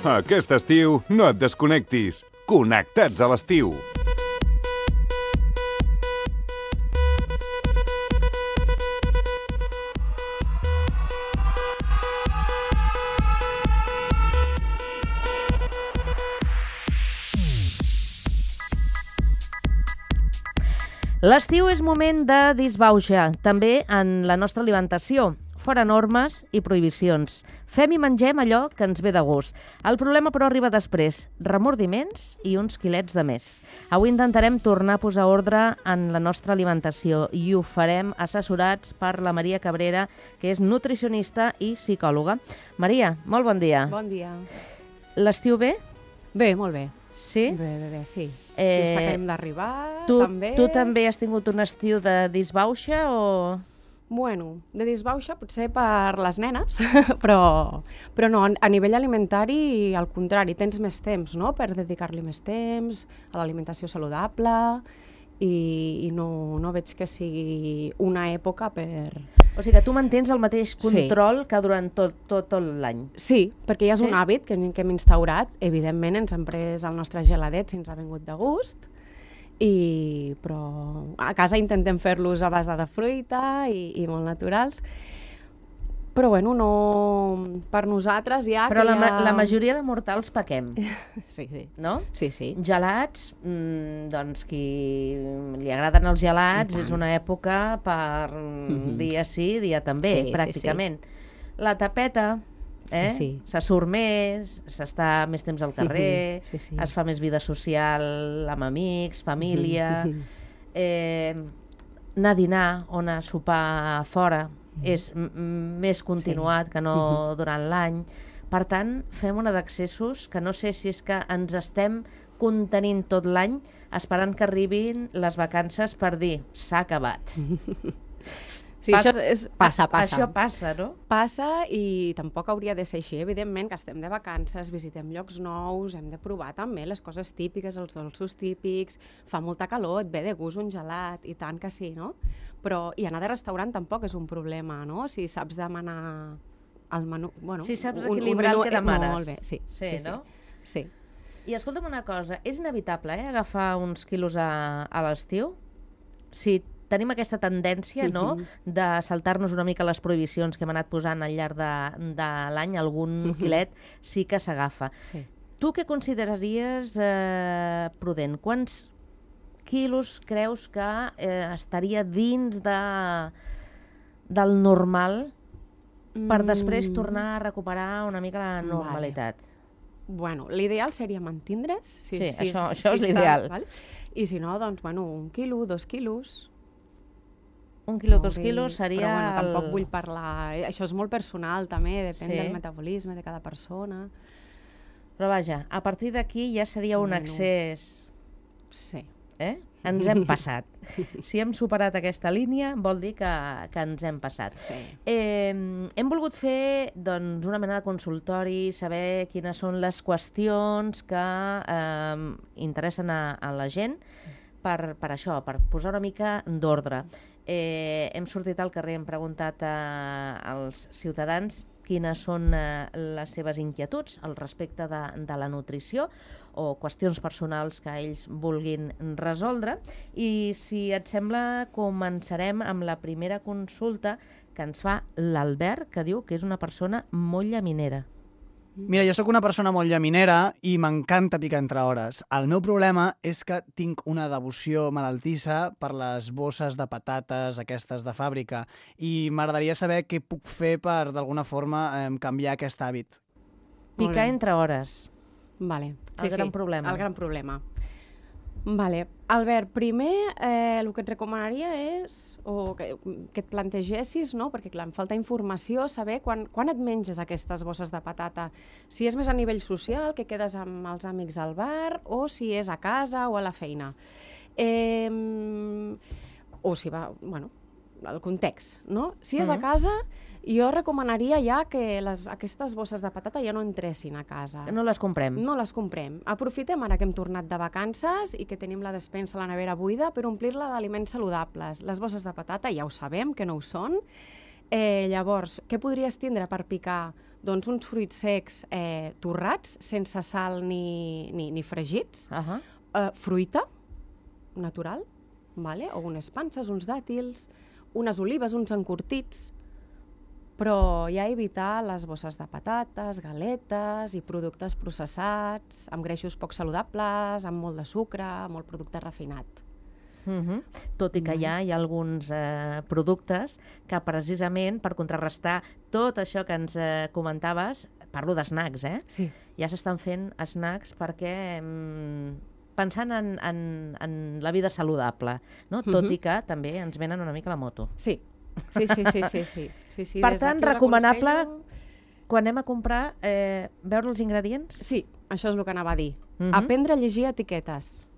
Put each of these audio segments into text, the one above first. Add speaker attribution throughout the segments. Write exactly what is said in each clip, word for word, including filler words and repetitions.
Speaker 1: Aquest estiu no et desconnectis. Connectats a l'estiu.
Speaker 2: L'estiu és moment de disbauxa, també en la nostra alimentació. Fora normes i prohibicions. Fem i mengem allò que ens ve de gust. El problema, però, arriba després. Remordiments i uns quilets de més. Avui intentarem tornar a posar ordre en la nostra alimentació i ho farem assessorats per la Maria Cabrera, que és nutricionista i psicòloga. Maria, molt bon dia.
Speaker 3: Bon dia.
Speaker 2: L'estiu bé?
Speaker 3: Bé, molt bé.
Speaker 2: Sí?
Speaker 3: Bé, bé, bé, sí.
Speaker 2: Eh,
Speaker 3: sí, està acabem d'arribar,
Speaker 2: tu,
Speaker 3: també.
Speaker 2: Tu també has tingut un estiu de disbauxa o...?
Speaker 3: Bueno, de disbauxa potser per les nenes, però, però no, a nivell alimentari, al contrari, tens més temps, no?, per dedicar-li més temps a l'alimentació saludable i, i no, no veig que sigui una època per...
Speaker 2: O sigui que tu mantens el mateix control sí. que durant tot, tot, tot l'any.
Speaker 3: Sí, perquè ja és
Speaker 2: sí?
Speaker 3: un hàbit que, que hem instaurat. Evidentment ens hem pres el nostre geladet si ens ha vingut de gust, i, però a casa intentem fer-los a base de fruita i, i molt naturals. Però bueno, no... per nosaltres ja...
Speaker 2: Però
Speaker 3: que
Speaker 2: la,
Speaker 3: ja...
Speaker 2: la majoria de mortals pequem.
Speaker 3: Sí, sí.
Speaker 2: No?
Speaker 3: Sí, sí.
Speaker 2: Gelats, mmm, doncs qui li agraden els gelats és una època per mm-hmm. dia sí, dia també, sí, pràcticament. Sí, sí. La tapeta, eh? Sí, sí. Se surt més, s'està més temps al carrer, sí, sí. es fa més vida social amb amics, família, eh, anar a dinar o anar a sopar fora és més continuat sí. que no durant l'any. Per tant, fem una d'accessos que no sé si és que ens estem contenint tot l'any esperant que arribin les vacances per dir s'ha acabat.
Speaker 3: Sí, passa, això és, passa, passa.
Speaker 2: Això passa, no?
Speaker 3: Passa i tampoc hauria de ser així. Evidentment que estem de vacances, visitem llocs nous, hem de provar també les coses típiques, els dolços típics, fa molta calor, et ve de gust un gelat, i tant que sí, no? Però, i anar de restaurant tampoc és un problema, no? Si saps demanar el menú... Bueno,
Speaker 2: si saps
Speaker 3: un,
Speaker 2: equilibrar
Speaker 3: un menú,
Speaker 2: el que demanes.
Speaker 3: Molt bé, sí.
Speaker 2: Sí,
Speaker 3: sí,
Speaker 2: no?
Speaker 3: Sí.
Speaker 2: I escolta'm una cosa, és inevitable eh, agafar uns quilos a, a l'estiu? Si tenim aquesta tendència, no?, de saltar-nos una mica les prohibicions que hem anat posant al llarg de, de l'any, algun quilet sí que s'agafa.
Speaker 3: Sí.
Speaker 2: Tu què consideraries eh, prudent? Quants quilos creus que eh, estaria dins de, del normal per després tornar a recuperar una mica la normalitat?
Speaker 3: Vale. Bueno, l'ideal seria mantindre's. Si,
Speaker 2: sí,
Speaker 3: si,
Speaker 2: això,
Speaker 3: si
Speaker 2: això
Speaker 3: si
Speaker 2: és l'ideal.
Speaker 3: I si no, doncs, bueno, un quilo, dos quilos...
Speaker 2: Un quilo, dos quilos seria...
Speaker 3: Però bueno,
Speaker 2: el...
Speaker 3: tampoc vull parlar... Això és molt personal, també, depèn
Speaker 2: sí.
Speaker 3: del metabolisme de cada persona.
Speaker 2: Però vaja, a partir d'aquí ja seria un
Speaker 3: bueno,
Speaker 2: excés...
Speaker 3: Sí.
Speaker 2: Eh? Ens hem passat. Si hem superat aquesta línia, vol dir que, que ens hem passat.
Speaker 3: Sí.
Speaker 2: Eh, hem volgut fer doncs, una mena de consultori, saber quines són les qüestions que eh, interessen a, a la gent per, per això, per posar una mica d'ordre. Eh, hem sortit al carrer, hem preguntat a, als ciutadans quines són eh, les seves inquietuds al respecte de, de la nutrició o qüestions personals que ells vulguin resoldre. I si et sembla, començarem amb la primera consulta que ens fa l'Albert, que diu que és una persona molt llaminera.
Speaker 4: Mira, jo sóc una persona molt llaminera i m'encanta picar entre hores. El meu problema és que tinc una devoció malaltissa per les bosses de patates, aquestes de fàbrica, i m'agradaria saber què puc fer per, d'alguna forma, eh, canviar aquest hàbit.
Speaker 2: Picar entre hores.
Speaker 3: Vale.
Speaker 2: Sí, el gran
Speaker 3: sí,
Speaker 2: problema.
Speaker 3: El gran problema. Vale. Albert, primer eh, el que et recomanaria és o que, que et plantegessis, no? Perquè clar, em falta informació, saber quan, quan et menges aquestes bosses de patata. Si és més a nivell social, que quedes amb els amics al bar, o si és a casa o a la feina. Eh, o si va, bueno, el context, no? Si és uh-huh. a casa, jo recomanaria ja que les, aquestes bosses de patata ja no entressin a casa.
Speaker 2: No les comprem.
Speaker 3: No les comprem. Aprofitem ara que hem tornat de vacances i que tenim la despensa a la nevera buida per omplir-la d'aliments saludables. Les bosses de patata ja ho sabem que no ho són. Eh, llavors, què podries tindre per picar? Doncs uns fruits secs eh, torrats, sense sal ni, ni, ni fregits,
Speaker 2: Uh -huh.
Speaker 3: eh, fruita natural, vale? O unes panses, uns dàtils, unes olives, uns encurtits, però ja evitar les bosses de patates, galetes i productes processats, amb greixos poc saludables, amb molt de sucre, molt producte refinat.
Speaker 2: Uh -huh. Tot i que ja hi ha alguns eh, productes que precisament per contrarrestar tot això que ens eh, comentaves, parlo d'snacks, eh?
Speaker 3: Sí.
Speaker 2: Ja s'estan fent snacks perquè mm, pensant en, en, en la vida saludable, no? Tot
Speaker 3: Mhm.
Speaker 2: i que també ens venen una mica la moto.
Speaker 3: Sí, sí, sí, sí, sí, sí. sí, sí
Speaker 2: Per
Speaker 3: des
Speaker 2: tant,
Speaker 3: d'aquí us
Speaker 2: recomanable
Speaker 3: aconsello-
Speaker 2: quan anem a comprar, eh, veure els ingredients?
Speaker 3: Sí, això és el que anava a dir.
Speaker 2: Mhm.
Speaker 3: Aprendre a llegir etiquetes.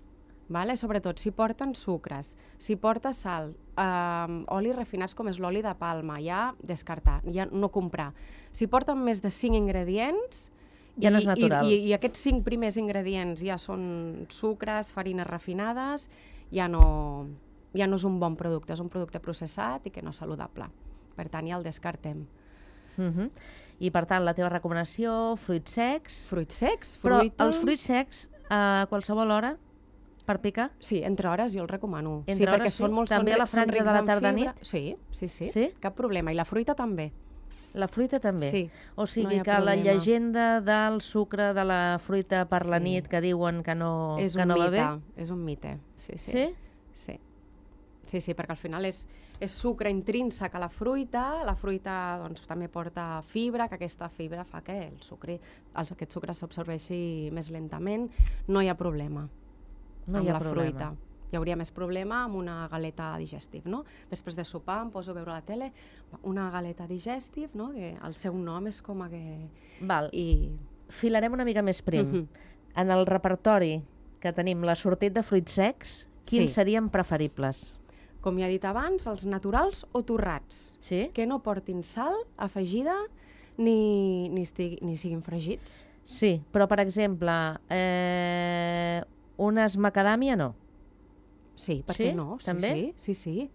Speaker 3: Vale? Sobretot si porten sucres, si porta sal, eh, olis refinats com és l'oli de palma, ja descartar, ja no comprar. Si porten més de cinc ingredients,
Speaker 2: Ja no és
Speaker 3: i-
Speaker 2: natural.
Speaker 3: I, i, i aquests cinc primers ingredients ja són sucres, farines refinades, ja no, ja no és un bon producte, és un producte processat i que no és saludable. Per tant, ja el descartem.
Speaker 2: Uh -huh. I per tant, la teva recomanació, fruits secs,
Speaker 3: Fruits secs,
Speaker 2: però
Speaker 3: fruita...
Speaker 2: els fruits secs a qualsevol hora per picar?
Speaker 3: Sí, entre hores jo el recomano.
Speaker 2: Entre
Speaker 3: sí, perquè
Speaker 2: hores, sí?
Speaker 3: són molt,
Speaker 2: També
Speaker 3: són,
Speaker 2: a la
Speaker 3: ri- són
Speaker 2: franja de
Speaker 3: rics
Speaker 2: la
Speaker 3: en
Speaker 2: tarda-nit?
Speaker 3: fibra. Sí, sí, sí,
Speaker 2: Sí?
Speaker 3: cap problema. I la fruita també.
Speaker 2: La fruita també?
Speaker 3: Sí,
Speaker 2: O sigui
Speaker 3: no hi ha
Speaker 2: que la
Speaker 3: problema.
Speaker 2: llegenda del sucre de la fruita per la
Speaker 3: Sí.
Speaker 2: nit que diuen que no,
Speaker 3: és
Speaker 2: que
Speaker 3: un
Speaker 2: no va
Speaker 3: mite,
Speaker 2: bé?
Speaker 3: és un mite. Sí, sí.
Speaker 2: Sí?
Speaker 3: Sí, sí, sí perquè al final és, és sucre intrínsec a la fruita, la fruita doncs, també porta fibra, que aquesta fibra fa que el sucre, el, aquest sucre s'absorbeixi més lentament, no hi ha problema
Speaker 2: No
Speaker 3: amb
Speaker 2: hi ha
Speaker 3: la
Speaker 2: problema.
Speaker 3: fruita. Hi hauria més problema amb una galeta digestive, no? Després de sopar em poso a veure la tele, una galeta digestive, no? Que el seu nom és com a que...
Speaker 2: Val.
Speaker 3: I...
Speaker 2: Filarem una mica més prim.
Speaker 3: Mhm.
Speaker 2: En el repertori que tenim, la sortit de fruits secs, quins
Speaker 3: Sí.
Speaker 2: serien preferibles?
Speaker 3: Com ja he dit abans, els naturals o torrats,
Speaker 2: Sí?
Speaker 3: que no portin sal afegida ni, ni, estigui, ni siguin fregits.
Speaker 2: Sí, però per exemple, eh, unes macadàmia no.
Speaker 3: Sí, per
Speaker 2: Sí?
Speaker 3: què no? Sí,
Speaker 2: També?
Speaker 3: Sí, sí, sí.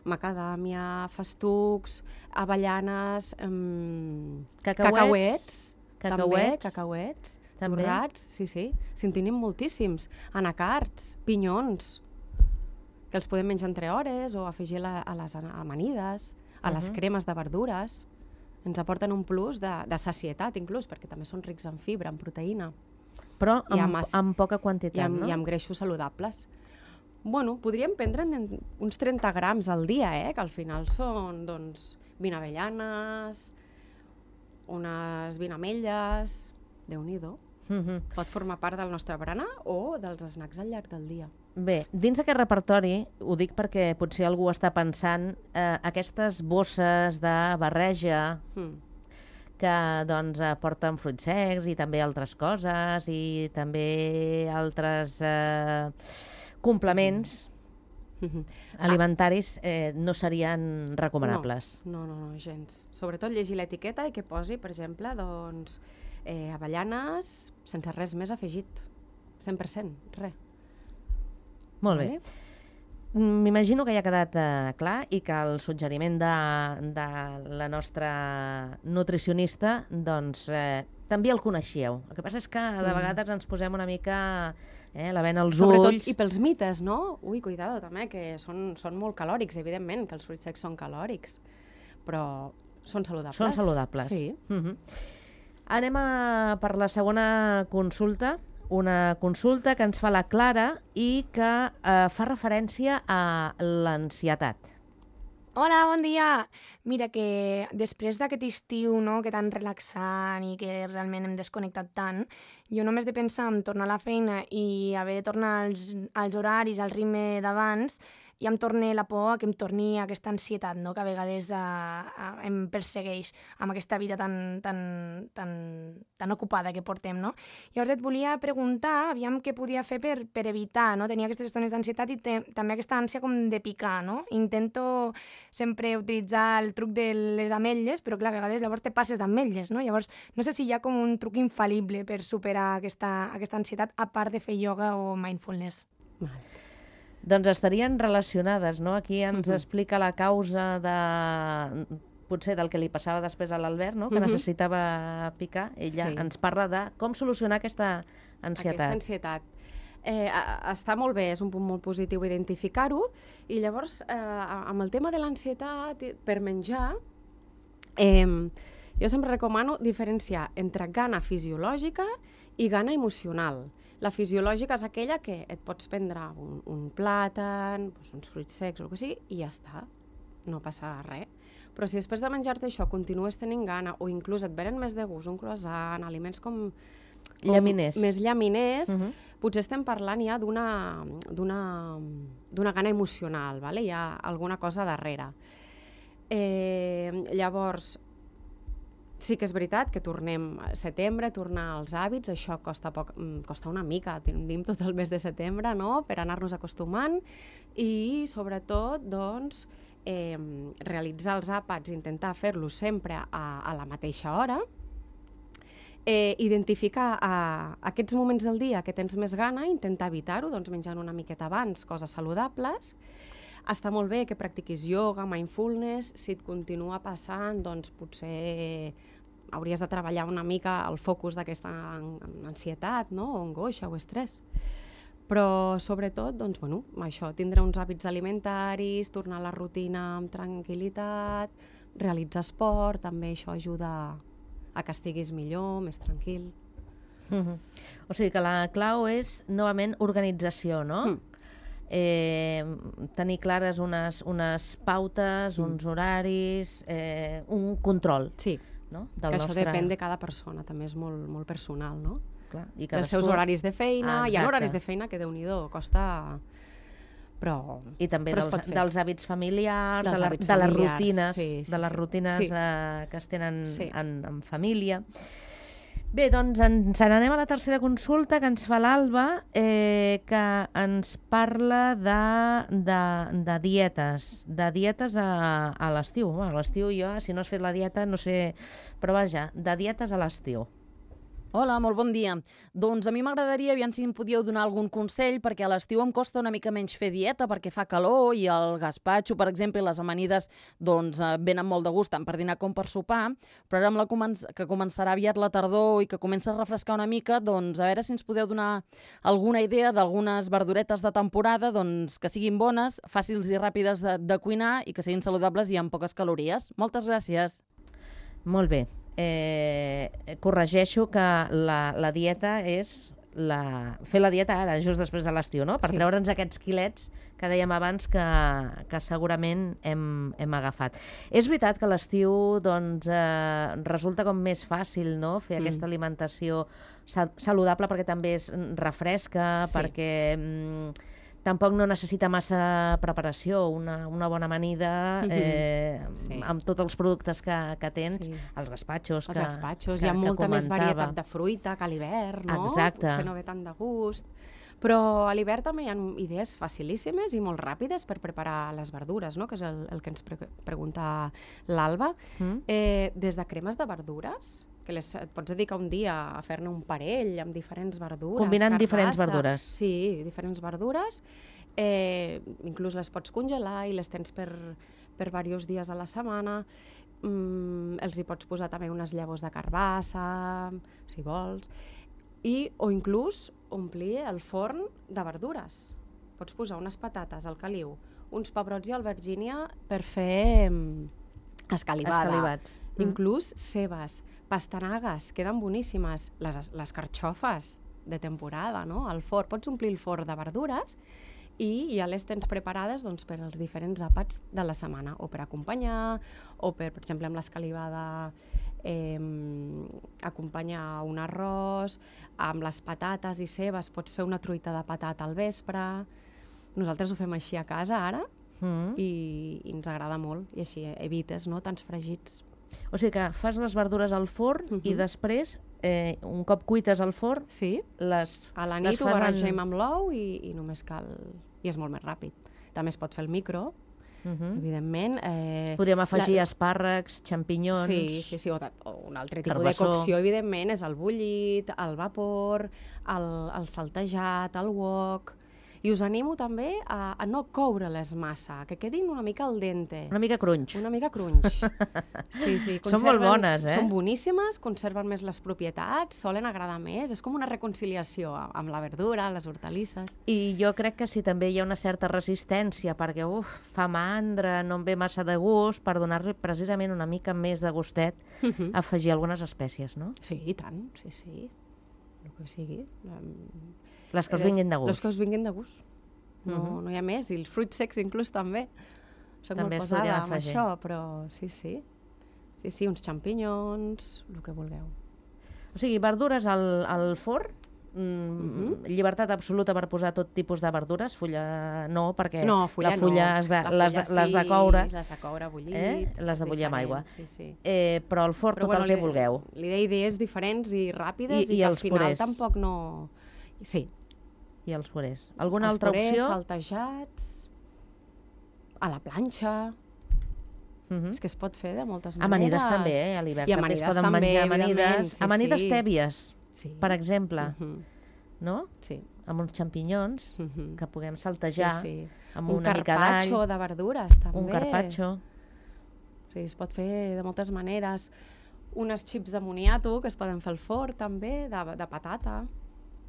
Speaker 3: Macadàmia, festucs, avellanes, em...
Speaker 2: Cacauets.
Speaker 3: cacauets, també,
Speaker 2: Cacauets.
Speaker 3: cacauets,
Speaker 2: També.
Speaker 3: torrats, sí, sí. Si en tenim moltíssims. Anacards, pinyons, que els podem menjar entre hores o afegir la, a les amanides, a les
Speaker 2: Mhm.
Speaker 3: cremes de verdures. Ens aporten un plus de, de sacietat, inclús, perquè també són rics en fibra, en proteïna
Speaker 2: Però
Speaker 3: I
Speaker 2: amb,
Speaker 3: amb as-
Speaker 2: amb poca
Speaker 3: i
Speaker 2: quantitat,
Speaker 3: amb,
Speaker 2: no?
Speaker 3: i amb greixos saludables. Bueno, podríem prendre'n uns trenta grams al dia, eh? Que al final són, doncs, vint avellanes, unes vint ametlles... Déu-n'hi-do.
Speaker 2: Mhm.
Speaker 3: Pot formar part del nostre berenar o dels snacks al llarg del dia.
Speaker 2: Bé, dins d'aquest repertori, ho dic perquè potser algú està pensant, eh, aquestes bosses de barreja
Speaker 3: Mm.
Speaker 2: que doncs eh, porten fruits secs i també altres coses i també altres eh, complements
Speaker 3: Mhm.
Speaker 2: alimentaris eh, no serien recomanables.
Speaker 3: No, no, no, gens. Sobretot llegir l'etiqueta i que posi, per exemple, doncs, eh, avellanes sense res més afegit. cent per cent, res.
Speaker 2: Molt bé. Mm, M'imagino que ja ha quedat eh, clar i que el suggeriment de, de la nostra nutricionista doncs, eh, també el coneixíeu. El que passa és que de
Speaker 3: Mm.
Speaker 2: vegades ens posem una mica eh, la vena als
Speaker 3: Sobretot,
Speaker 2: ulls.
Speaker 3: i pels mites, no? Ui, cuidado, també, que són, són molt calòrics, evidentment, que els fruits secs són calòrics, però són saludables.
Speaker 2: Són saludables.
Speaker 3: Sí.
Speaker 2: Mhm. Anem a, per la segona consulta, una consulta que ens fa la Clara i que eh, fa referència a l'ansietat.
Speaker 5: Hola, bon dia! Mira, que després d'aquest estiu, no?, que tan relaxant i que realment hem desconnectat tant, jo només de pensar en tornar a la feina i haver de tornar als, als horaris, al ritme d'abans, ja em torna la por a que em torni aquesta ansietat, no?, que a vegades eh, eh, em persegueix amb aquesta vida tan, tan, tan, tan ocupada que portem, no? Llavors et volia preguntar, aviam què podia fer per, per evitar, no?, tenir aquestes estones d'ansietat i te, també aquesta ànsia com de picar, no? Intento sempre utilitzar el truc de les ametlles, però clar, a vegades llavors te passes d'ametlles, no? Llavors, no sé si hi ha com un truc infal·lible per superar aquesta, aquesta ansietat, a part de fer ioga o mindfulness.
Speaker 3: Vale.
Speaker 2: Doncs estarien relacionades, no? Aquí ens
Speaker 3: Mhm.
Speaker 2: explica la causa de... potser del que li passava després a l'Albert, no? Que necessitava picar, ella sí. ens parla de com solucionar aquesta ansietat.
Speaker 3: Aquesta ansietat. Eh, està molt bé, és un punt molt positiu identificar-ho, i llavors, eh, amb el tema de l'ansietat per menjar, eh, jo sempre recomano diferenciar entre gana fisiològica i gana emocional. La fisiològica és aquella que et pots prendre un, un plàtan, doncs uns fruits secs o el que sigui, i ja està, no passa res. Però si després de menjar-te això continues tenint gana, o inclús et venen més de gust un croissant, aliments com...
Speaker 2: Llaminers.
Speaker 3: Més llaminers, uh -huh. potser estem parlant ja d'una d'una gana emocional, vale? Hi ha alguna cosa darrere. Eh, llavors, sí que és veritat que tornem a setembre, tornar als hàbits, això costa, poc, costa una mica, tenim tot el mes de setembre, no?, per anar-nos acostumant, i sobretot, doncs, eh, realitzar els àpats, intentar fer-los sempre a, a la mateixa hora, Eh, identificar a, a aquests moments del dia que tens més gana, intentar evitar-ho, doncs menjant una miqueta abans, coses saludables. Està molt bé que practiquis ioga, mindfulness, si et continua passant, doncs potser hauries de treballar una mica el focus d'aquesta ansietat, no?, o angoixa o estrès. Però sobretot, doncs, bueno, això, tindre uns hàbits alimentaris, tornar a la rutina amb tranquil·litat, realitzar esport, també això ajuda a que estiguis millor, més tranquil.
Speaker 2: Mm-hmm. O sigui que la clau és, novament, organització, no? Mm. Eh, tenir clares unes, unes pautes, mm. uns horaris, eh, un control.
Speaker 3: Sí,
Speaker 2: no?
Speaker 3: Del que nostre... això depèn de cada persona, també és molt, molt personal, no?
Speaker 2: Clar, i
Speaker 3: cadascú... dels seus horaris de feina, ah, hi ha horaris de feina que, Déu-n'hi-do, costa... Però,
Speaker 2: I també
Speaker 3: però
Speaker 2: dels, dels hàbits familiars,
Speaker 3: dels
Speaker 2: de, la,
Speaker 3: hàbits
Speaker 2: de les
Speaker 3: familiars,
Speaker 2: rutines,
Speaker 3: sí, sí,
Speaker 2: de les
Speaker 3: sí.
Speaker 2: rutines
Speaker 3: sí.
Speaker 2: eh, que es tenen
Speaker 3: sí.
Speaker 2: en, en família. Bé, doncs ens n'anem a la tercera consulta que ens fa l'Alba, eh, que ens parla de, de, de dietes, de dietes a, a l'estiu. A l'estiu jo, si no has fet la dieta, no sé, però vaja, de dietes a l'estiu.
Speaker 6: Hola, molt bon dia. Doncs a mi m'agradaria, aviam si em podíeu donar algun consell, perquè a l'estiu em costa una mica menys fer dieta, perquè fa calor i el gaspatxo, per exemple, i les amanides doncs, venen molt de gust, tant per dinar com per sopar, però ara amb la comen que començarà aviat la tardor i que comença a refrescar una mica, doncs a veure si ens podeu donar alguna idea d'algunes verduretes de temporada doncs, que siguin bones, fàcils i ràpides de, de cuinar i que siguin saludables i amb poques calories. Moltes gràcies.
Speaker 2: Molt bé. Eh, corregeixo que la, la dieta és la, fer la dieta ara, just després de l'estiu, no? Per sí. treure'ns aquests quilets que dèiem abans que, que segurament hem, hem agafat. És veritat que l'estiu doncs, eh, resulta com més fàcil, no?, fer mm. aquesta alimentació saludable, perquè també es refresca, sí. perquè... Mm, tampoc no necessita massa preparació, una, una bona amanida eh, sí. amb tots els productes que, que tens, sí. els gaspatxos
Speaker 3: els
Speaker 2: que,
Speaker 3: gaspatxos,
Speaker 2: que,
Speaker 3: hi ha molta
Speaker 2: que
Speaker 3: més varietat de fruita que a l'hivern, no?
Speaker 2: Exacte.
Speaker 3: Potser no ve tant de gust. Però a l'hivern també hi ha idees facilíssimes i molt ràpides per preparar les verdures, no?, que és el, el que ens pre pregunta l'Alba. Mm. Eh, des de cremes de verdures, que les, et pots dedicar un dia a fer-ne un parell amb diferents verdures.
Speaker 2: Combinant
Speaker 3: carbassa,
Speaker 2: diferents verdures.
Speaker 3: Sí, diferents verdures. Eh, inclús les pots congelar i les tens per, per diversos dies a la setmana. Mm, els hi pots posar també unes llavors de carbassa, si vols. I, o inclús omplir el forn de verdures. Pots posar unes patates al caliu, uns pebrots i albergínia per fer escalivada.
Speaker 2: Escalivats.
Speaker 3: Mm. Inclús cebes, pastanagues, queden boníssimes. Les, les carxofes de temporada, no?, al forn. Pots omplir el forn de verdures i ja les tens preparades doncs, per als diferents àpats de la setmana, o per acompanyar, o per, per exemple, amb l'escalivada eh, acompanyar un arròs, amb les patates i cebes pots fer una truita de patata al vespre. Nosaltres ho fem així a casa ara mm. i, i ens agrada molt, i així evites, no?, tants fregits.
Speaker 2: O sigui que fas les verdures al forn uh-huh. i després, eh, un cop cuites al forn,
Speaker 3: sí.
Speaker 2: les
Speaker 3: a la nit ho barregem amb l'ou i, i només cal... i és molt més ràpid. També es pot fer el micro, uh-huh. evidentment. Eh,
Speaker 2: Podríem afegir la... espàrrecs, xampinyons...
Speaker 3: Sí, sí, sí, o, o un altre tipus
Speaker 2: carbassó.
Speaker 3: De cocció, evidentment, és el bullit, el vapor, el, el saltejat, el wok... I us animo també a, a no coure-les massa, que quedin una mica al dente.
Speaker 2: Una mica crunch.
Speaker 3: Una mica crunch. Sí, sí.
Speaker 2: Són molt bones, eh?
Speaker 3: Són boníssimes, conserven més les propietats, solen agradar més. És com una reconciliació amb la verdura, les hortalisses.
Speaker 2: I jo crec que sí, també hi ha una certa resistència, perquè uf, fa mandra, no em ve massa de gust, per donar-li precisament una mica més de gustet, uh -huh. afegir algunes espècies, no?
Speaker 3: Sí, i tant, sí, sí. El que sigui.
Speaker 2: Les que us vinguin de gust.
Speaker 3: Les que us vinguin de gust. No, uh -huh. no hi ha més. I els fruits secs inclús també. Soc també molt posada amb això, però sí, sí. Sí, sí, uns xampinyons, el que vulgueu.
Speaker 2: O sigui, verdures al, al forn, mm, uh -huh. llibertat absoluta per posar tot tipus de verdures, fulla no, perquè
Speaker 3: no, fulla
Speaker 2: la fulla
Speaker 3: no.
Speaker 2: has de,
Speaker 3: la
Speaker 2: les,
Speaker 3: fulla
Speaker 2: de, les de
Speaker 3: sí,
Speaker 2: coure,
Speaker 3: les de coure bullit,
Speaker 2: eh? les de bullir amb aigua.
Speaker 3: Sí, sí.
Speaker 2: Eh, però al forn
Speaker 3: però,
Speaker 2: tot
Speaker 3: bueno,
Speaker 2: el que vulgueu.
Speaker 3: Li deia idees diferents i ràpides i,
Speaker 2: I,
Speaker 3: i
Speaker 2: i
Speaker 3: al final
Speaker 2: purés.
Speaker 3: Tampoc no... Sí.
Speaker 2: I els purés. Alguna
Speaker 3: els
Speaker 2: altra
Speaker 3: purés,
Speaker 2: opció?
Speaker 3: saltejats, a la planxa... Uh -huh. És que es pot fer de moltes maneres.
Speaker 2: Amanides també, eh? A l'hivern també es poden
Speaker 3: també,
Speaker 2: menjar amanides.
Speaker 3: sí,
Speaker 2: amanides
Speaker 3: sí.
Speaker 2: tèbies,
Speaker 3: sí.
Speaker 2: per exemple.
Speaker 3: Uh -huh.
Speaker 2: No?
Speaker 3: Sí.
Speaker 2: Amb uns xampinyons
Speaker 3: uh -huh.
Speaker 2: que puguem saltejar
Speaker 3: sí, sí.
Speaker 2: amb
Speaker 3: un
Speaker 2: una mica d'all.
Speaker 3: Un carpaccio de verdures, també.
Speaker 2: Un carpaccio.
Speaker 3: Sí, es pot fer de moltes maneres. Unes xips de moniato que es poden fer al forn, també, de, de patata.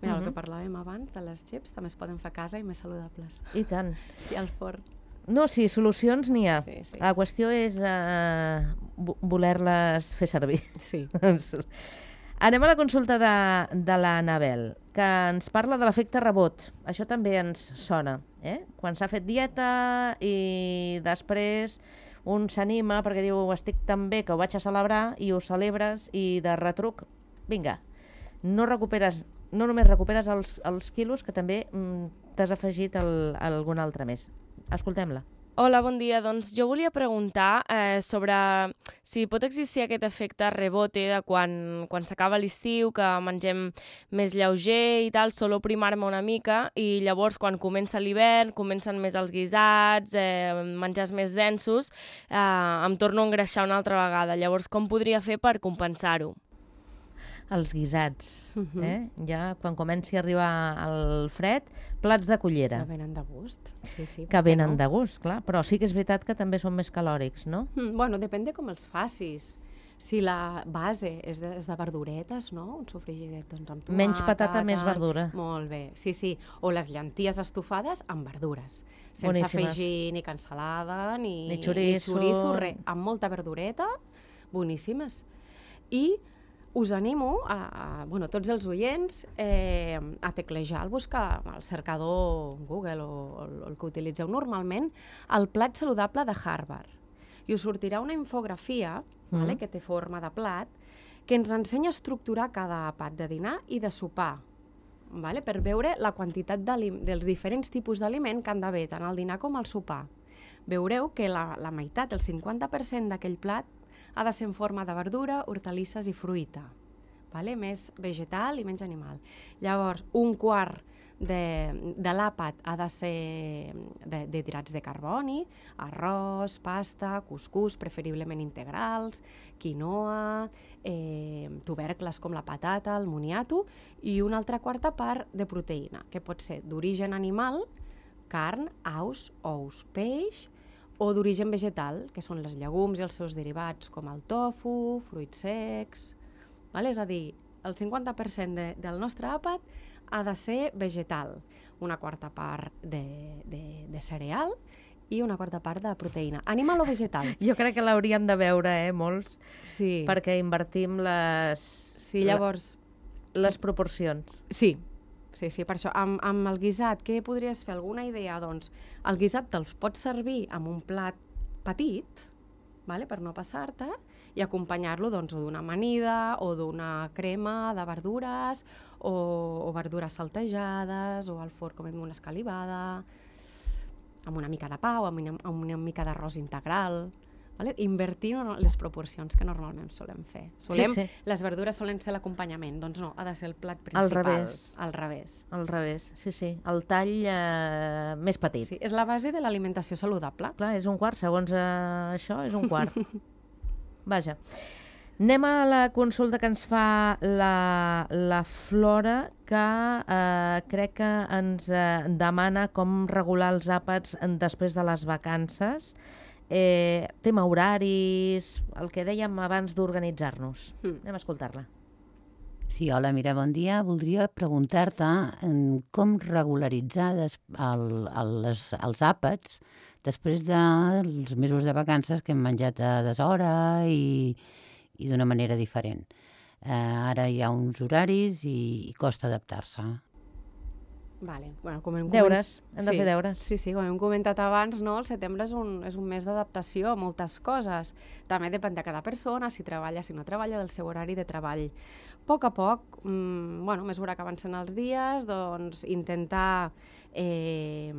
Speaker 3: Mira, uh -huh. el que parlàvem abans, de les xips, també es poden fer a casa i més saludables.
Speaker 2: I tant.
Speaker 3: I al forn.
Speaker 2: No, sí, solucions n'hi ha.
Speaker 3: Sí, sí.
Speaker 2: La qüestió és uh, voler-les fer servir.
Speaker 3: Sí.
Speaker 2: Anem a la consulta de, de l'Anabel, que ens parla de l'efecte rebot. Això també ens sona, eh? Quan s'ha fet dieta i després un s'anima perquè diu estic tan bé que ho vaig a celebrar i ho celebres i de retruc, vinga, no recuperes, no només recuperes els, els quilos, que també mm, t'has afegit el, algun altre més. Escoltem-la.
Speaker 7: Hola, bon dia. Doncs jo volia preguntar eh, sobre si pot existir aquest efecte rebote de quan, quan s'acaba l'estiu, que mengem més lleuger i tal, solo primar-me una mica, i llavors quan comença l'hivern, comencen més els guisats, eh, menjars més densos, eh, em torno a engreixar una altra vegada. Llavors, com podria fer per compensar-ho?
Speaker 2: Els guisats,
Speaker 3: Uh -huh.
Speaker 2: eh? Ja quan comenci a arribar el fred, plats de cullera.
Speaker 3: Que venen de gust. Sí, sí,
Speaker 2: Que venen
Speaker 3: no?
Speaker 2: de gust, clar, però sí que és veritat que també són més calòrics, no?
Speaker 3: Mm, bueno, depèn de com els facis. Si la base és de, és de verduretes, no? Un sofregidet doncs, amb tomata...
Speaker 2: Menys patata, més verdura.
Speaker 3: Molt bé, sí, sí. O les llenties estufades amb verdures. Sense
Speaker 2: Boníssimes.
Speaker 3: afegir ni cansalada, ni,
Speaker 2: Ni xoriço.
Speaker 3: ni xoriço, res. Amb molta verdureta, boníssimes. I us animo, a, a bueno, tots els oients, eh, a teclejar, al buscar al cercador Google o, o el que utilitzeu normalment, el plat saludable de Harvard. I us sortirà una infografia, mm. vale, que té forma de plat, que ens ensenya a estructurar cada àpat de dinar i de sopar, vale, per veure la quantitat dels diferents tipus d'aliment que han d'haver, tant al dinar com al sopar. Veureu que la, la meitat, el cinquanta per cent d'aquell plat, ha de ser en forma de verdura, hortalisses i fruita, vale? Més vegetal i menys animal. Llavors, un quart de, de l'àpat ha de ser de, de hidrats de carboni, arròs, pasta, cuscús, preferiblement integrals, quinoa, eh, tubercles com la patata, el moniato, i una altra quarta part de proteïna, que pot ser d'origen animal, carn, aus, ous, peix, o d'origen vegetal, que són les llegums i els seus derivats, com el tofu, fruits secs... Vale? És a dir, el cinquanta per cent de, del nostre àpat ha de ser vegetal, una quarta part de, de, de cereal i una quarta part de proteïna. Animal o vegetal?
Speaker 2: Jo crec que l'hauríem de veure, eh, molts,
Speaker 3: Sí.
Speaker 2: perquè invertim les,
Speaker 3: Sí, llavors...
Speaker 2: les proporcions.
Speaker 3: Sí, sí, sí, per això. Amb, amb el guisat, què podries fer? Alguna idea? Doncs el guisat te'ls pots servir amb un plat petit, vale? Per no passar-te, i acompanyar-lo doncs, d'una amanida o d'una crema de verdures o, o verdures saltejades o al forn com una escalivada, amb una mica de pa o amb una, amb una mica d'arròs integral. Vale? Invertint en les proporcions que normalment solem fer. Solem,
Speaker 2: Sí, sí.
Speaker 3: Les verdures solen ser l'acompanyament, doncs no, ha de ser el plat
Speaker 2: Al
Speaker 3: principal.
Speaker 2: revés.
Speaker 3: Al revés.
Speaker 2: Al revés, sí, sí. El tall eh, més petit.
Speaker 3: Sí, és la base de l'alimentació saludable.
Speaker 2: Clar, és un quart, segons eh, això, és un quart. Vaja. Anem a la consulta que ens fa la, la Flora, que eh, crec que ens eh, demana com regular els àpats després de les vacances. Eh, tema horaris, el que dèiem abans d'organitzar-nos. Mm. Anem a escoltar-la.
Speaker 8: Sí, hola, mira, bon dia. Voldria preguntar-te com regularitzar des, el, el, les, els àpats després dels mesos de vacances que hem menjat a deshora i, i d'una manera diferent. Eh, ara hi ha uns horaris i, i costa adaptar-se.
Speaker 3: Vale. Bueno, com hem
Speaker 2: deures, coment... hem de
Speaker 3: sí,
Speaker 2: fer deures.
Speaker 3: Sí, sí, com hem comentat abans, no? El setembre és un, és un mes d'adaptació a moltes coses. També depèn de cada persona, si treballa, si no treballa, del seu horari de treball. A poc a poc, mmm, bueno, a mesura que avancen els dies, doncs intentar eh,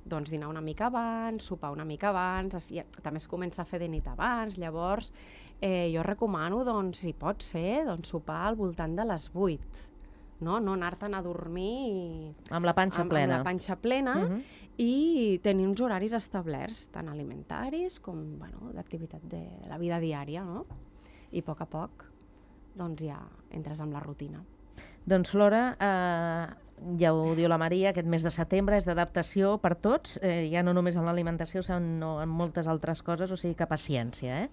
Speaker 3: doncs, dinar una mica abans, sopar una mica abans, així, també es comença a fer de nit abans, llavors eh, jo recomano, doncs, si pot ser, doncs, sopar al voltant de les vuit. No, no anar-te'n a dormir i...
Speaker 2: amb la panxa
Speaker 3: amb,
Speaker 2: plena.
Speaker 3: Amb la panxa plena uh -huh. i tenir uns horaris establerts, tant alimentaris com bueno, d'activitat de la vida diària, no? I a poc a poc doncs ja entres en la rutina.
Speaker 2: Doncs Flora, eh, ja ho diu la Maria, aquest mes de setembre és d'adaptació per tots, eh, ja no només en l'alimentació, sinó en moltes altres coses, o sigui que paciència. Eh?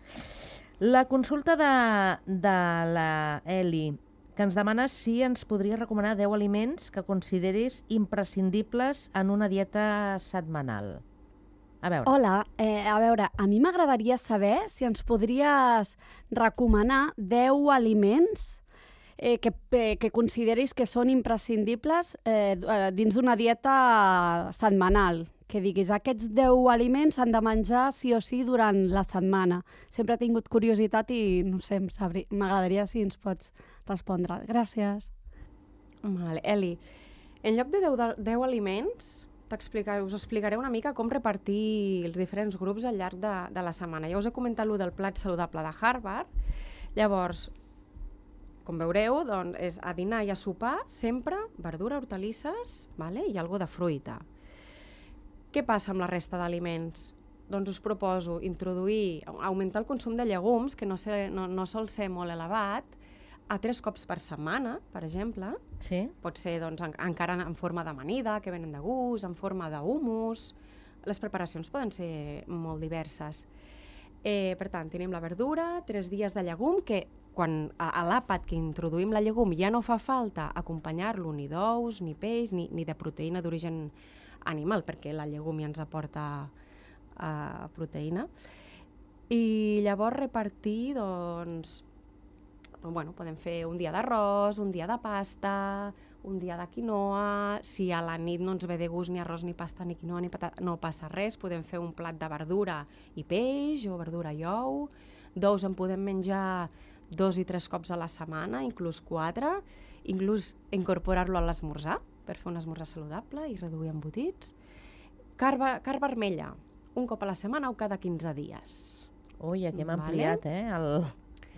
Speaker 2: La consulta de, de la Eli, que ens demana si ens podria recomanar deu aliments que consideris imprescindibles en una dieta setmanal. A veure.
Speaker 9: Hola, eh, a veure, a mi m'agradaria saber si ens podries recomanar deu aliments eh, que, eh, que consideris que són imprescindibles eh, dins d'una dieta setmanal. Que diguis, aquests deu aliments s'han de menjar sí o sí durant la setmana. Sempre he tingut curiositat i, no sé, m'agradaria si ens pots respondre. Gràcies.
Speaker 3: Vale. Eli, en lloc de deu aliments, us explicaré una mica com repartir els diferents grups al llarg de, de la setmana. Ja us he comentat allò del plat saludable de Harvard. Llavors, com veureu, doncs, és a dinar i a sopar sempre verdura, hortalisses, vale? I alguna de fruita. Què passa amb la resta d'aliments? Doncs us proposo introduir, augmentar el consum de llegums, que no, sé, no, no sol ser molt elevat, a tres cops per setmana, per exemple.
Speaker 2: Sí.
Speaker 3: Pot ser doncs, en, encara en forma d'amanida, que venen de gust, en forma d'humus. Les preparacions poden ser molt diverses. Eh, per tant, tenim la verdura, tres dies de llegum, que quan a, a l'àpat que introduïm la llegum ja no fa falta acompanyar-lo ni d'ous, ni peix, ni, ni de proteïna d'origen animal, perquè la llegum ja ens aporta uh, proteïna. I llavors repartir, doncs, bueno, podem fer un dia d'arròs, un dia de pasta, un dia de quinoa. Si a la nit no ens ve de gust ni arròs, ni pasta, ni quinoa, ni patata, no passa res. Podem fer un plat de verdura i peix, o verdura i ou. D'ous en podem menjar dos i tres cops a la setmana, inclús quatre. Inclús incorporar-lo a l'esmorzar, per fer un esmorzar saludable i reduir embotits. Carn, carn vermella, un cop a la setmana o cada quinze dies.
Speaker 2: Ui, aquí hem vale. ampliat, eh, el,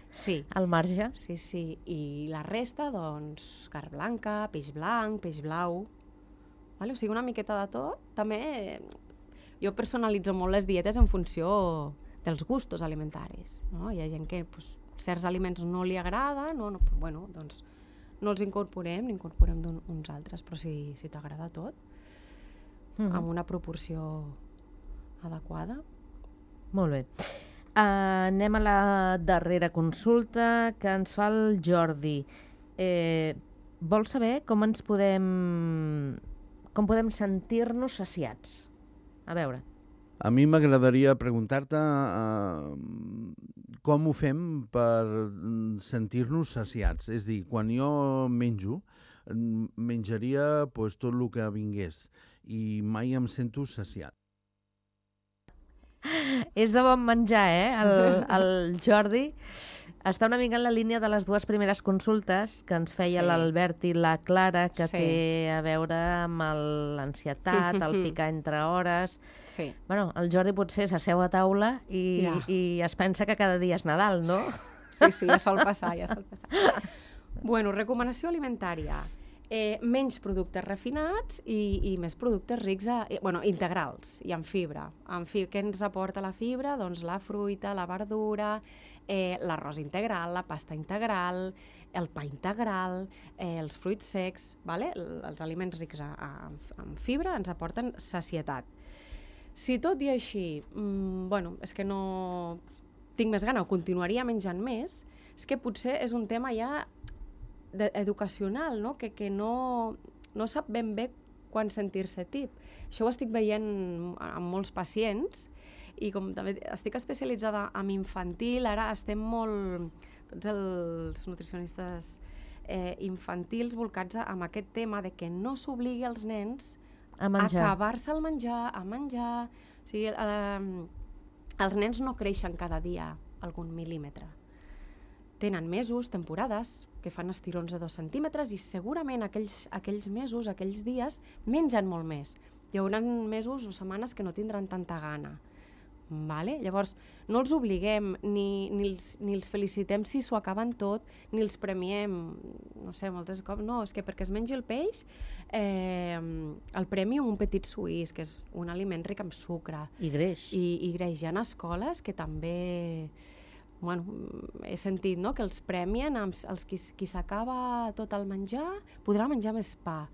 Speaker 3: sí.
Speaker 2: el marge.
Speaker 3: Sí, sí, i la resta, doncs, carn blanca, peix blanc, peix blau, vale? O sigui, una miqueta de tot. També jo personalitzo molt les dietes en funció dels gustos alimentaris, no? Hi ha gent que pues, certs aliments no li agrada, no, no, però, bueno, doncs no els incorporem, n'incorporem uns altres, però si, si t'agrada tot, mm-hmm. amb una proporció adequada.
Speaker 2: Molt bé. Uh, anem a la darrera consulta que ens fa el Jordi. Eh, vol saber com ens podem com podem sentir-nos saciats? A veure.
Speaker 10: A mi m'agradaria preguntar-te uh, com ho fem per sentir-nos saciats. És a dir, quan jo menjo, menjaria pues, tot el que vingués i mai em sento saciat.
Speaker 2: És de bon menjar, eh? El, el Jordi està una mica en la línia de les dues primeres consultes que ens feia sí. l'Albert i la Clara, que sí. té a veure amb l'ansietat, el picar entre hores.
Speaker 3: Sí.
Speaker 2: Bueno, el Jordi potser s'asseu a taula i, ja. i es pensa que cada dia és Nadal, no?
Speaker 3: Sí, sí, ja sol passar, ja sol passar. Bueno, recomanació alimentària. Eh, menys productes refinats i, i més productes rics, a, eh, bueno, integrals i amb fibra. Amb fi Què ens aporta la fibra? Doncs la fruita, la verdura, eh, l'arròs integral, la pasta integral, el pa integral, eh, els fruits secs, vale? Els aliments rics a, a, en fibra ens aporten sacietat. Si tot i així, mmm, bueno, és que no tinc més gana o continuaria menjant més, és que potser és un tema ja educacional, no? Que, que no, no sap ben bé quan sentir-se tip. Això ho estic veient amb molts pacients i com també estic especialitzada en infantil, ara estem molt, tots els nutricionistes eh, infantils volcats amb aquest tema de que no s'obligui als nens
Speaker 2: a menjar.
Speaker 3: acabar-se el menjar, a menjar. O sigui, eh, els nens no creixen cada dia algun mil·límetre. Tenen mesos, temporades, que fan estirons de dos centímetres i segurament aquells, aquells mesos, aquells dies, mengen molt més. Hi haurà mesos o setmanes que no tindran tanta gana. Vale? Llavors, no els obliguem, ni, ni, els, ni els felicitem si s'ho acaben tot, ni els premiem, no sé, moltes cops, no, és que perquè es mengi el peix, eh, el premi un petit suís, que és un aliment ric amb sucre.
Speaker 2: I greix.
Speaker 3: I, i greix. Hi ha escoles que també... Bueno, he sentit, no?, que els premien, els, els qui, qui s'acaba tot el menjar, podrà menjar més pa.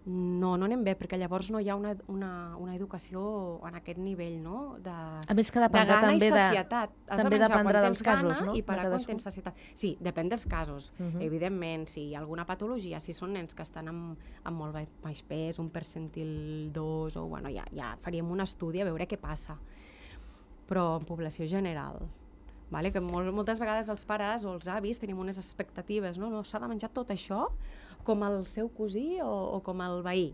Speaker 3: No, no anem bé, perquè llavors no hi ha una, una, una educació en aquest nivell, no?, de,
Speaker 2: a més que
Speaker 3: de gana
Speaker 2: també
Speaker 3: i sacietat.
Speaker 2: De, també dependrà dels casos, no?
Speaker 3: I parar quan tens sacietat. Sí, depèn dels casos. Uh -huh. Evidentment, si hi ha alguna patologia, si són nens que estan amb, amb molt baix pes, un percentil dos, o bueno, ja, ja faríem un estudi a veure què passa. Però en població general... Vale? Que molt, moltes vegades els pares o els avis tenim unes expectatives, no? No s'ha de menjar tot això com el seu cosí o, o com el veí.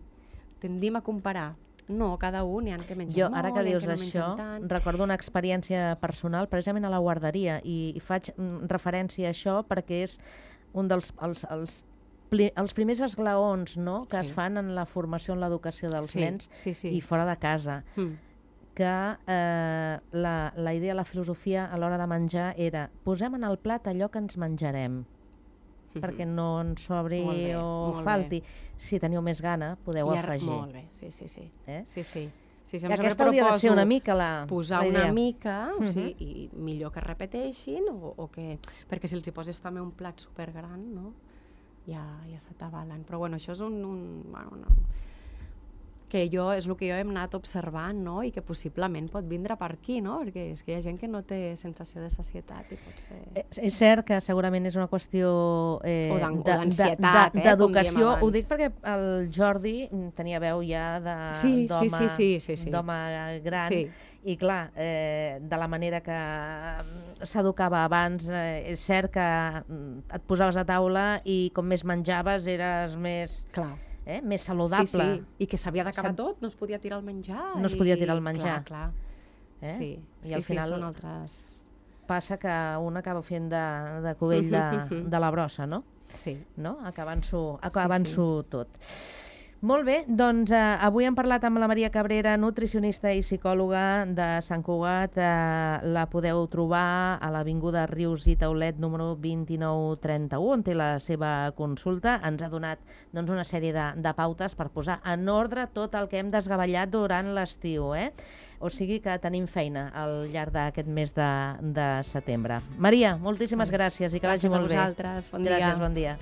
Speaker 3: Tendim a comparar. No, cada un n'hi ha que menjar
Speaker 2: jo,
Speaker 3: molt,
Speaker 2: ara que dius
Speaker 3: que no
Speaker 2: això,
Speaker 3: tant.
Speaker 2: recordo una experiència personal precisament a la guarderia i, i faig referència a això perquè és un dels els, els, els primers esglaons, no?, que sí. es fan en la formació en l'educació dels
Speaker 3: sí,
Speaker 2: nens
Speaker 3: sí, sí.
Speaker 2: i fora de casa. Mm. que eh, la, la idea, la filosofia a l'hora de menjar era posem en el plat allò que ens menjarem mm-hmm. perquè no ens sobri bé, o falti. Bé. Si teniu més gana, podeu
Speaker 3: I
Speaker 2: afegir.
Speaker 3: Molt bé, sí, sí, sí.
Speaker 2: Eh?
Speaker 3: sí, sí. sí
Speaker 2: I aquesta hauria de ser una mica la
Speaker 3: posar
Speaker 2: la idea.
Speaker 3: una mica, o
Speaker 2: mm-hmm.
Speaker 3: sigui, i millor que repeteixin, o, o que... perquè si els hi poses també un plat supergran, no? ja, ja se t'avalen. Però bueno, això és un... un bueno, una... que jo, és el que jo hem anat observant, no?, i que possiblement pot vindre per aquí, no?, perquè és que hi ha gent que no té sensació de sacietat i pot ser...
Speaker 2: És, és cert que segurament és una qüestió eh,
Speaker 3: o d'ansietat, eh,
Speaker 2: d'educació. Ho dic perquè el Jordi tenia veu ja d'home
Speaker 3: sí, sí, sí, sí, sí, sí.
Speaker 2: gran
Speaker 3: sí.
Speaker 2: i clar, eh, de la manera que s'educava abans, eh, és cert que et posaves a taula i com més menjaves eres més...
Speaker 3: Clar.
Speaker 2: Eh? més saludable.
Speaker 3: Sí, sí, i que s'havia d'acabar Sap... tot, no es podia tirar el menjar.
Speaker 2: No es podia tirar el menjar.
Speaker 3: Clar, clar.
Speaker 2: Eh?
Speaker 3: Sí,
Speaker 2: I
Speaker 3: sí,
Speaker 2: al final
Speaker 3: sí, són altres...
Speaker 2: passa que un acaba fent de, de cubell de, de la brossa, no?
Speaker 3: Sí.
Speaker 2: No? Acabant-s'ho acabant
Speaker 3: sí, sí.
Speaker 2: tot. Molt bé, doncs eh, avui hem parlat amb la Maria Cabrera, nutricionista i psicòloga de Sant Cugat. Eh, la podeu trobar a l'Avinguda Rius i Taulet, número vint-i-nou trenta-u, on té la seva consulta. Ens ha donat doncs, una sèrie de, de pautes per posar en ordre tot el que hem desgavellat durant l'estiu. Eh? O sigui que tenim feina al llarg d'aquest mes de, de setembre. Maria, moltíssimes gràcies i que
Speaker 3: gràcies
Speaker 2: vagi molt bé.
Speaker 3: Gràcies a vosaltres, bon dia.
Speaker 2: Gràcies, bon dia.